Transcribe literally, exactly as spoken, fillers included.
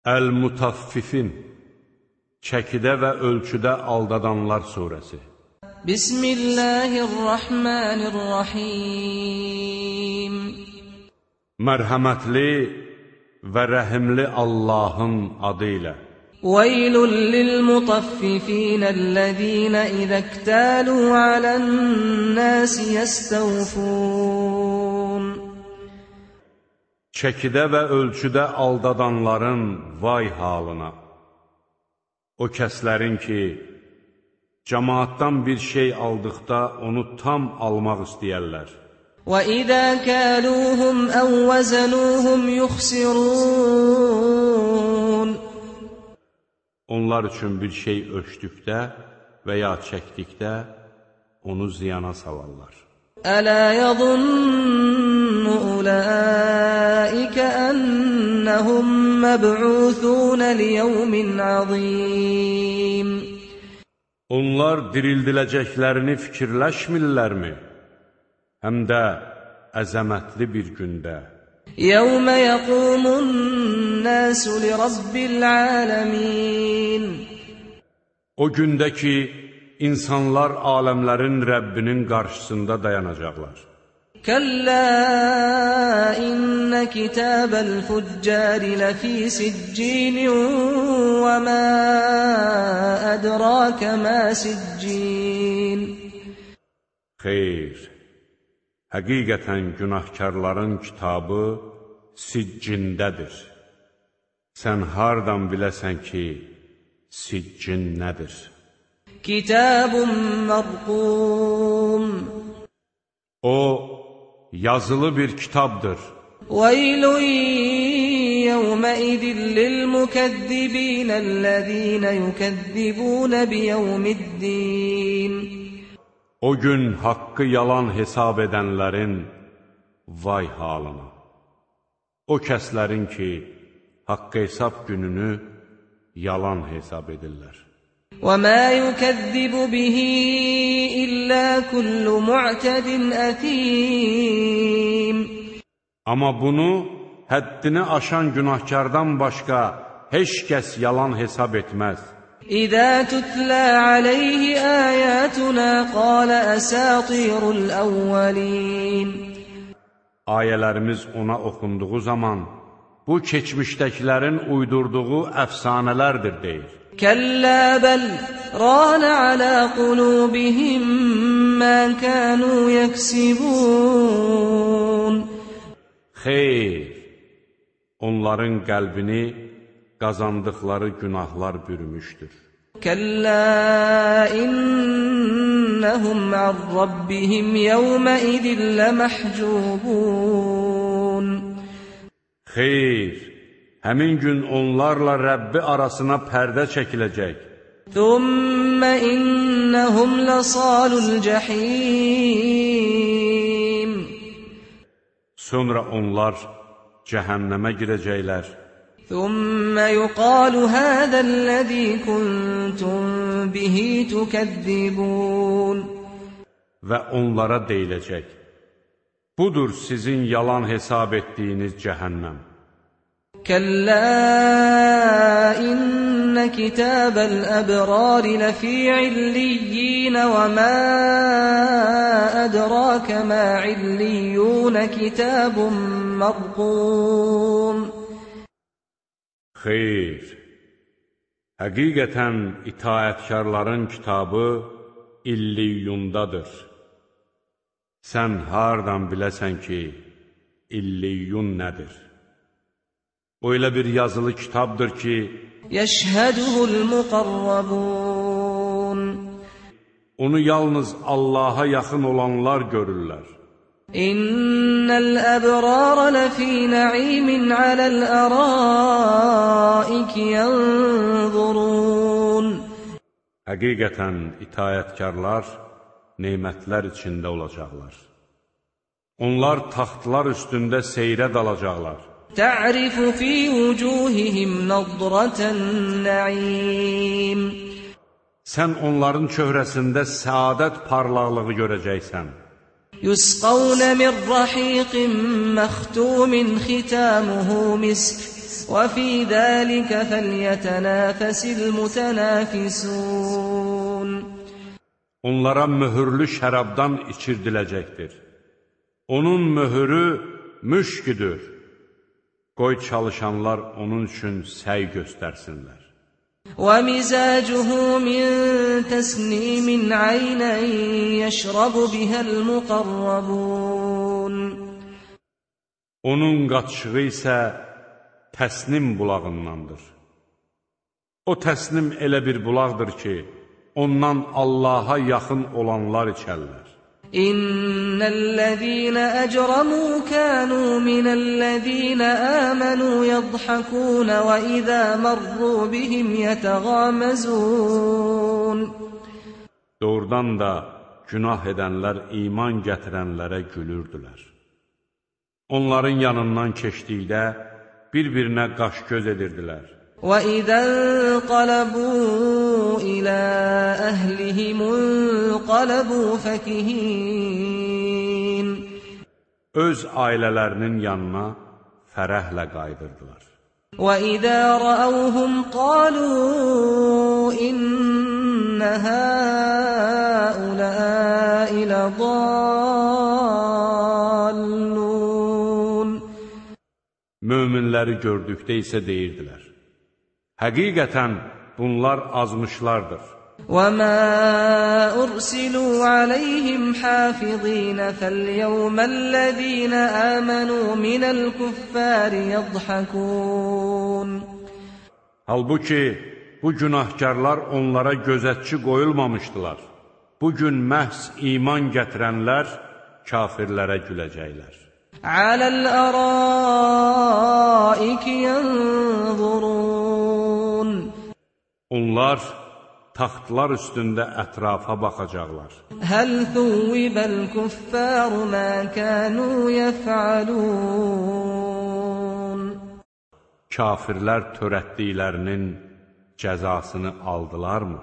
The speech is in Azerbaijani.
Əl-Mutaffifin, çəkidə və ölçüdə aldadanlar surəsi. Bismillahirrahmanirrahim. Mərhəmətli və rəhimli Allahın adı ilə. Veylun lil-mutaffifin-ellezîne izə-ktâlû alən-nâsi yestawfûn. Çəkidə və ölçüdə aldadanların vay halına. O kəslərin ki, cəmaatdan bir şey aldıqda onu tam almaq istəyərlər. وَإِذَا كَالُوهُمْ أَوْ وَزَنُوهُمْ يُخْسِرُونَ. Onlar üçün bir şey ölçdükdə və ya çəkdikdə onu ziyana salarlar. أَلَا يَظُنُّ أُولَٰئِكَ أَنَّهُمْ مَبْعُوثُونَ لِيَوْمٍ عَظِيمٍ. Onlar dirildiləcəklərini fikirləşmirlərmi? Həm də əzəmətli bir gündə. يَوْمَ يَقُومُ النَّاسُ لِرَبِّ الْعَالَمِينَ. O gündə ki, insanlar aləmlərin Rəbbinin qarşısında dayanacaqlar. كَلَّا إِنَّ كِتَابَ الْفُجَّارِ لَفِي سِجِّينٍ وَمَا أَدْرَاكَ مَا سِجِّينٌ. Xeyr, həqiqətən günahkarların kitabı siccindədir. Sən hardan biləsən ki, siccin nədir? Kitabun mərqum. O, yazılı bir kitabdır. Veylun yevmeidin lilmukezzibinellezine yukezzibune biyevmiddin. O gün haqqı yalan hesab edənlərin vay halına. O kəslərin ki, haqqı hesab gününü yalan hesab edirlər. وَمَا يُكَذِّبُ بِهِ إِلَّا كُلُّ مُعْتَدٍ أَثِيمٍ. Amma bunu həddini aşan günahkardan başqa heç kəs yalan hesab etməz. إِذَا تُتْلَى عَلَيْهِ آيَاتُنَا قَالَ أَسَاطِيرُ الْأَوَّلِينَ. Ayələrimiz ona oxunduğu zaman, bu keçmişdəkilərin uydurduğu əfsanələrdir deyir. كَلَّا بَلْ رَانَ عَلَى قُلُوبِهِمْ مَا كَانُوا يَكْسِبُونَ. Xeyr, onların qəlbini qazandıqları günahlar bürümüşdür. كَلَّا إِنَّهُمْ عَنْ رَبِّهِمْ يَوْمَئِذٍ لَمَحْجُوبُونَ. Xeyr, həmin gün onlarla Rəbbi arasına pərdə çəkiləcək. ثُمَّ إِنَّهُمْ لَصَالُو الْجَحِيمِ. Sonra onlar cəhənnəmə girəcəklər. ثُمَّ يُقَالُ هَذَا الَّذِي كُنْتُمْ بِهِ تُكَذِّبُونَ. Və onlara deyiləcək, budur sizin yalan hesab etdiyiniz cəhənnəm. كَلَّا إِنَّ كِتَابَ الْأَبْرَارِ لَفِي عِلِّيِّينَ وَمَا أَدْرَاكَ مَا عِلِّيُّونَ كِتَابٌ مَرْقُومٌ. Xeyr, həqiqətən itaətkarların kitabı İlliyyundadır. Sən hardan biləsən ki, İlliyyun nədir? O elə bir yazılı kitabdır ki, Yəşhəduhul muqarrabun. Onu yalnız Allaha yaxın olanlar görürlər. İnnəl əbrar ləfī nə'imin aləl ərâiki yənzurun. Həqiqətən itayətkarlar nemətlər içində olacaqlar. Onlar taxtlar üstündə seyrə dalacaqlar. Ta'rifu fi vujuhihim nadratan na'im. Sən onların çöhrəsində səadət parlaqlığı görəcəksən. Yusqawna min rahiqin məxtumin xitamuhu misk وَفِي ذَٰلِكَ فَلْيَتَنَافَسِ الْمُتَنَافِسُونَ Onlara mühürlü şərabdan içirdiləcəkdir. Onun mühürü müşküdür. Qoy çalışanlar onun üçün səy göstərsinlər. وَمِزَاجُهُ مِن تَسْنِيمٍ عَيْنًا يَشْرَبُ بِهَا الْمُقَرَّبُونَ Onun qatışığı isə təsnim bulağındandır. O təsnim elə bir bulaqdır ki, ondan Allaha yaxın olanlar içərlər. İnnellezîne ecremû kânû minellezîne âmenû yadhakûn ve izâ marrû bihim yetegâmezûn. Doğrudan da günah edənlər iman gətirənlərə gülürdülər. Onların yanından keçdikdə bir-birinə qaş-göz edirdilər. وَإِذَا انقَلَبُوا إِلَى أَهْلِهِمُ انقَلَبُوا فَكِهِينَ Öz ailələrinin yanına fərəhlə qayıdırdılar. وَإِذَا رَأَوْهُمْ قَالُوا إِنَّ هَٰؤُلَاءِ لَضَالُّونَ Möminləri gördükdə isə deyirdilər: Həqiqətən bunlar azmışlardır. وَمَا أُرْسِلُوا عَلَيْهِمْ حَافِظِينَ فَالْيَوْمَ الَّذِينَ آمَنُوا مِنَ الْكُفَّارِ يَضْحَكُونَ Halbuki bu günahkarlar onlara gözətçi qoyulmamışdılar. Bugün məhz iman gətirənlər kafirlərə güləcəklər. عَلَى الْأَرَائِكِ يَنظُرُونَ Onlar taxtlar üstündə ətrafa baxacaqlar. هَلْ ثُوِّبَ الْكُفَّارُ مَا كَانُوا يَفْعَلُونَ Kafirlər törətdiklərinin cəzasını aldılarmı?